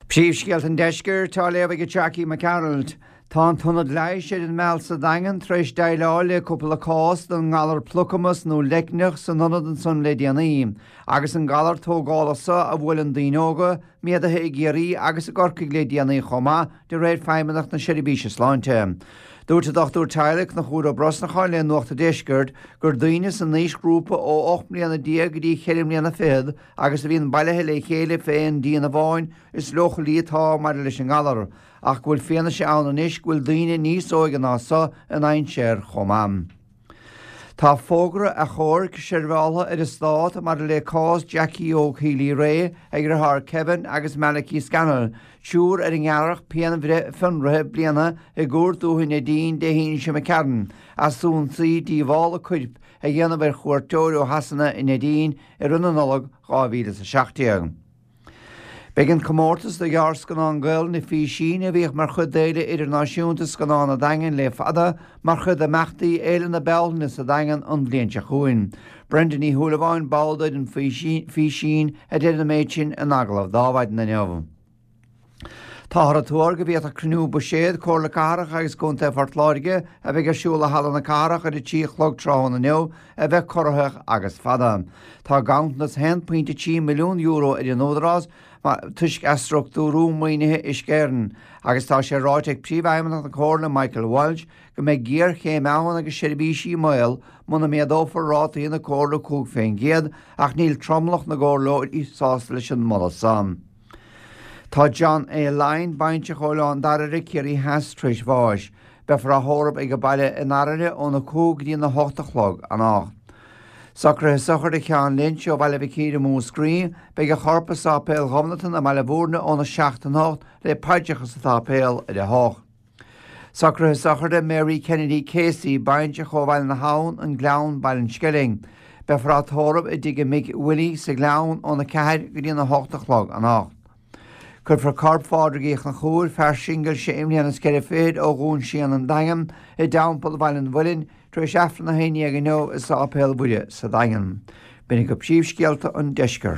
Príomhscéalta an Deiscirt á léamh ag Jackie Mac Gearailt. Tá an tIonad Leighis ar an Meal sa Daingean tar éis déileáil le cúpla cás den ngalar plucamas nó leicneach san ionad ansan le déanaí, agus an galar tógálach so a bhuaileann daoine óga, méadaithe i gCiarraí agus i gCorcaigh le déanaí chomh maith, de réir Feidhmeannacht na Seirbhíse Sláinte. Dúirt an Dochtúir Teaghlaigh Conchúr Ó Brosnacháin le Nuacht an Deiscirt gur daoine san aoisghrúpa ó 18 mbliana go dtí cheithre mbliana fichead agus a bhíonn bailithe le chéile fé aon díon amháin is leochailí atá maidir leis an ngalar, ach go bhfuil fianaise ann anois go bhfuil daoine níos óige ná so i ndainséar chomh maith. Tá fógra achomhairc seirbheáltha ar an Stát maidir le cás Jackie Óg Healy-Rae ag a dheartháir Kevin agus Malachy Scannell, triúr ar a ngearradh pianbhreith fionraithe bliana i gCúirt Dúiche Neidín Dé hAoine seo imigh tharainn as ionsaí díobhála coirp a dhéanamh ar chuairteoir ó Shasana i Neidín i rith na Nollag 2017. Beidh an comórtas do ghearrscannán Gaelainne Físín, a bhíodh mar chuid d'Fhéile Idirnáisiúnta Scannán an Daingin le fada, mar chuid d'imeachtaí Fhéile na Bealtaine sa Daingean an bhliain seo chugainn. Brenda Ní Shúilleabháin, ball d'fhoireann Físín, a deir an méid sin in agallamh d'Adhmhaidin inniu. Táthar ag tuar go bhféadfadh cruinniú buiséad Comhairle Cathrach agus Contae Phort Láirge, a bheidh ar siúl i Halla na Cathrach ar a 3 a chlog tráthnóna inniu, a bheith corraitheach agus fada. Tá ganntanas €1.3 milliún ar an Údarás toisc athstruchtúrú maoinithe Uisce Éireann agus tá sé ráite ag Príomhfheidhmeannach na Comhairle Michael Walsh go mbeidh géarchéim ann agus seirbhísí i mbaol muna méadófar rátaí na Comhairle 5% ach níl tromlach na gcomhairleoirí sásta leis an moladh san. Tá John A. Lyne, baintreach ó Oileán Dairbhre, Ciarraí Theas, tar éis bháis. Beifear á thórramh ag baile i nDairbhre óna 5 go dtí na 8 a chlog anocht. Socruithe sochraide Sheáin Lynch ó Bhaile Mhic Íre, Múscraí. Beidh a chorp i Sáipéal Ghobnatan i mBaile Bhúirne óna 7 anocht le paidreacha sa tsáipéal ar a 8. Socruithe sochraide Mary Kennedy Casey, baintreach ó Bhaile na hAbhann, An Gleann, Baile an Sceilg. Beifear á tórramh i dtigh a mic Willie sa Ghleann óna 4 go dtí an 8 a chlog anocht. Cuirfear corp Phádraig Uí Chonchúir, fear singil sé mbliana is ceithre fichid ó Dhún Síon an Daingean, i dTeampall Bhaile an Mhuilinn, tar éis Aifreann a haon dhéag inniu i Sáipéal Mhuire sa Daingean. B'in agaibh príomhscéalta an deiscirt.